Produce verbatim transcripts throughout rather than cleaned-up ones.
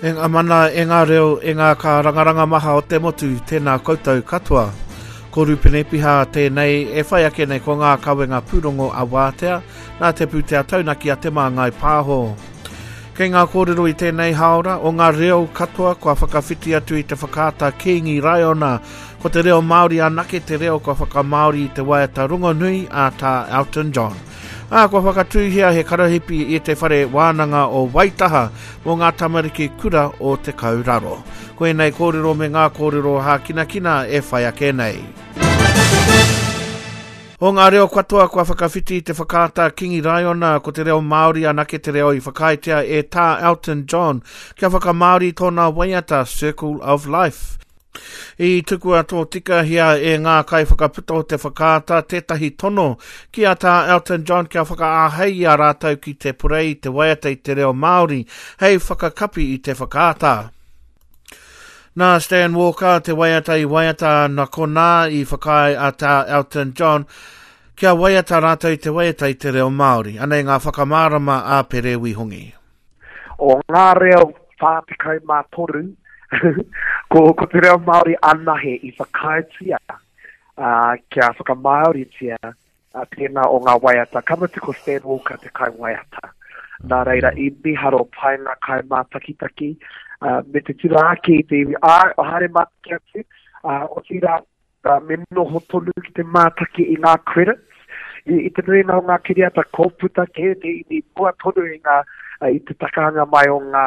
E ngā mana, e ngā reo, e ngā kārangaranga maha o te motu, tēnā koutou katoa. Ko Rupene Piha tēnei e whai ake nei ko ngā kawenga pūrongo a Wātea, nā te pūtea taunaki a Te Māngai Pāho. Kei ngā kōrero i tēnei haora o ngā reo katoa kua whakawhiti atu i te whakaata Kīngi Raiona, ko te reo Māori anake te reo kua whakamāori i te waiata rongonui a Tā Elton John. Ā, kua whakatūhia he karahipi i te whare wānanga o Waitaha mō ngā tamariki kura o Te Kauraro. Ko ēnei kōrero me ngā kōrero hākinakina e whai ake nei. O ngā reo katoa kua whakawhiti i te whakaata Kingi Raiona, ko te reo Māori anake te reo i whakaaetia e Tā Elton John kia whakamāori tōna waiata Circle of Life. I tukua tōtikahia e ngā kaiwhakaputa o te whakaata tētahi tono ki a Tā Elton John kia whakaāhei i a rātou ki te purei i te waiata i te reo Māori hei whakakapi i te whakaata. Nā Stan Walker te waiata i waiata nā konā i whakaae a Tā Elton John kia waiata rātou i te waiata i te reo Māori. Anei ngā whakamārama a Pere Wihongi. O ngā reo whā tekau mā toru, ko, ko te reo Māori anahe i whakaaetia uh, kia whakamāoritia uh, tēnā o ngā waiata. Ka mutu ko Stan Walker te kai waiata. Nā reira, i miharo pai ngā kai mātakitaki, uh, me te tira ake i te iwi, ā, o haere mātaki atu, uh, o tira, uh, me noho tonu ki te mātaki i ngā credits, i, i te nuinga o ngā kiriata kōputa kē te iwi mua tonu i ngā, uh, i te takahanga mai o ngā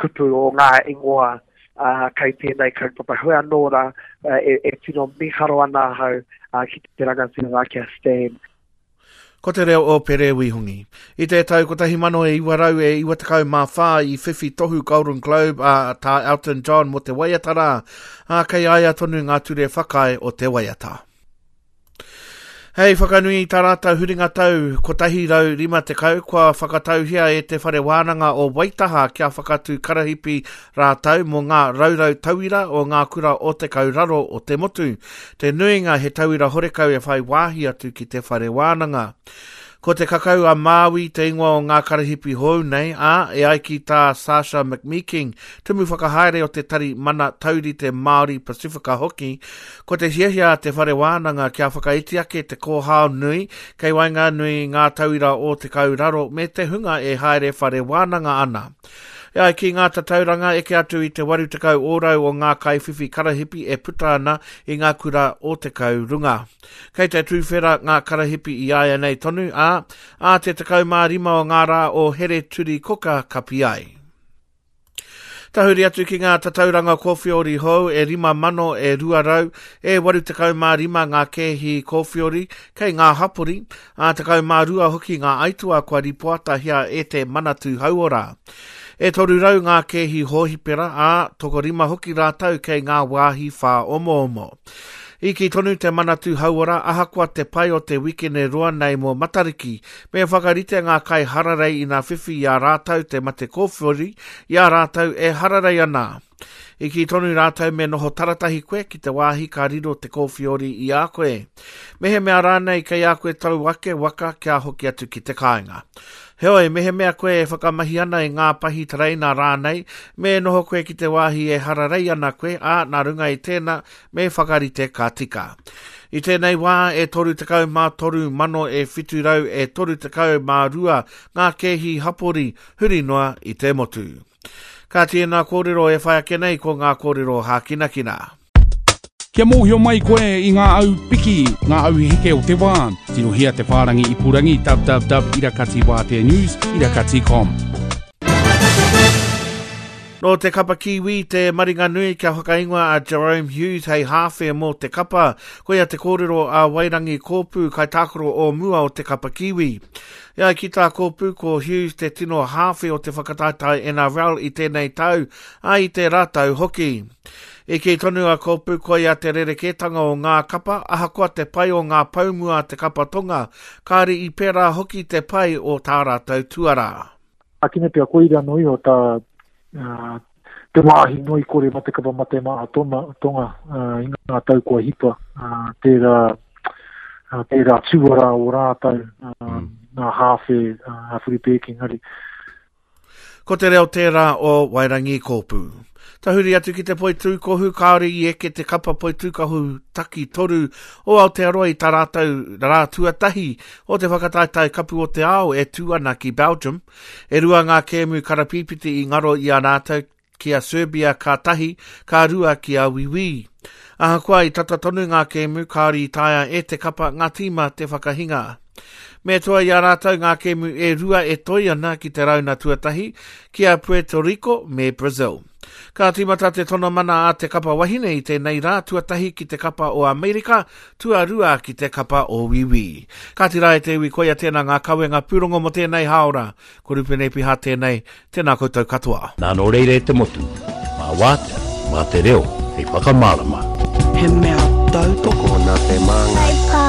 kupu o ngā ingoa uh, kei tēnei kaupapa. Hoi anō rā, uh, e, e tino miharo ana ahau uh, ki te rangatira rā ki a Stan. Ko te reo o Pere Wihongi. I te tau kotahi mano e iwa rau e iwa tekau mā whā i whiwhi tohu Golden Globe a Tā Elton John mō te waiata rā, ā, kei a ia tonu ngā ture whakaae o te waiata. Hei whakanui i tā rātou huringa tau kotahi rau rima tekau, kua whakatauhia e te Whare Wānanga o Waitaha kia whakatū karahipi rātou mō ngā raurau tauira o ngā kura o te kauraro o te motu. Te nuinga he tauira horekau e whai wāhi atu ki te Whare Wānanga. Ko te kakau a Māui te ingoa o ngā karahipi hou nei, ā, e ai ki tā Sasha McMeeking, tumu whakahaere o te tari Mana Taurite Māori Pasifika hoki, ko te hiahia a te Whare Wānanga kia whakaiti ake te kōhao nui kei waenganui i ngā tauira o te kauraro me te hunga e haere whare wānanga ana. E ai ki ngā tatauranga eke atu i te waru tekau ōrau o ngā kaiwhiwhi karahipi e puta ana i ngā kura o te kaurunga. Kei te tūwhera ngā karahipi i āianei tonu, ā, ā te tekau mā rima o ngā rā o Here Turi Koka kapi ai. Tahuri atu ki ngā tatauranga kōwhiori hou e rima mano e rua rau e waru tekau mā rima ngā kēhi kōwhiori kei ngā hapori, ā tekau mā rua hoki ngā aituā kua ripoatahia e te Manatū Hauora. E toru rau ngā kēhi hōhipera, ā, tokorima hoki rātou kei ngā wāhi whāomoomo. I kī tonu te Manatū Hauora ahakoa te pai o te wikene roa nei mō Matariki, me whakarite ngā kai hararei ina whiwhi i a rātou te mate kōwhiori i a rātou e hararei ana. I kī tonu rātou me noho taratahi koe ki te wāhi ka riro te kōwhiori i a koe. Mehemea rānei kei a koe tau ake waka kia hoki atu ki te kāinga. Heoi, mehemea koe e whakamahi ana i ngā pahi tereina rānei, me noho koe ki te wāhi e hararei ana koe, ā, nā runga i tēnā, me whakarite ka tika. I tēnei wā, e toru tekau mā toru mano e whitu rau e toru tekau mā rua ngā kēhi hapori huri noa i te motu. Ka tēnā kōrero e whai ake nei ko ngā kōrero hākinakina. Kia mōhio mai koe i ngā au piki, ngā au heke o te wā. Tirohia te whārangi ipurangi www irakati wātea news irakati com. Nō te kapa Kiwi te maringa nui kia whakaingoa a Jerome Hughes hei hāwhe mō te kapa. Koia te kōrero a Wairangi Kōpū kaitākaro o mua o te kapa Kiwi. E ai ki tā Kōpū, ko Hughes te tino hāwhe o te whakataetae N R L i tēnei tau, ā i tērā tau hoki. I kī tonu a Kōpū koia te rerekētanga o ngā kapa, ahakoa te pai o ngā paumua a te kapa tonga, kāre i pērā hoki te pai o tā rātou tuarā. Akine pea koira no iho tā, uh, te wāhi noi kore mate kapa mate maa tona, tonga, uh, i ngā tau kua hipa, uh, tērā, uh, tērā tuarā o rātou, uh, mm. ngā hāwhe, uh, a Whiripe Ekengari. Ko te reo tērā o Wairangi Kōpū. Tahuri atu ki te poitūkohu, kāore i eke te kapa poitūkohu taki toru o Aotearoa i tā rātou rā tuatahi o te whakataetae kapu o te ao e tū ana ki Belgium. E rua ngā kēmu karapīpiti i ngaro i a rātou ki a Serbia ka tahi, ka rua ki a Wiwi. Ahakoa i tata tonu ngā kēmu, kāore i taea e te kapa ngā tīma te whakahinga. Me toa i a rātou ngā kēmu e rua e toi ana ki te rauna tuatahi, ki a Puerto Rico me Brazil. Ka tīmata te tono mana a te kapa wahine i tēnei rā tuatahi ki te kapa o Amerika, tuarua ki te kapa o Wiwi. Kāti rā e te iwi koia tēnā ngā kawenga pūrongo mō tēnei hāora. Ko Rupene Piha tēnei, tēnā koutou katoa. Nā nō reira e te motu, mā wātea, mā te reo, hei whakamārama. He mea tautoko Nā te māngai.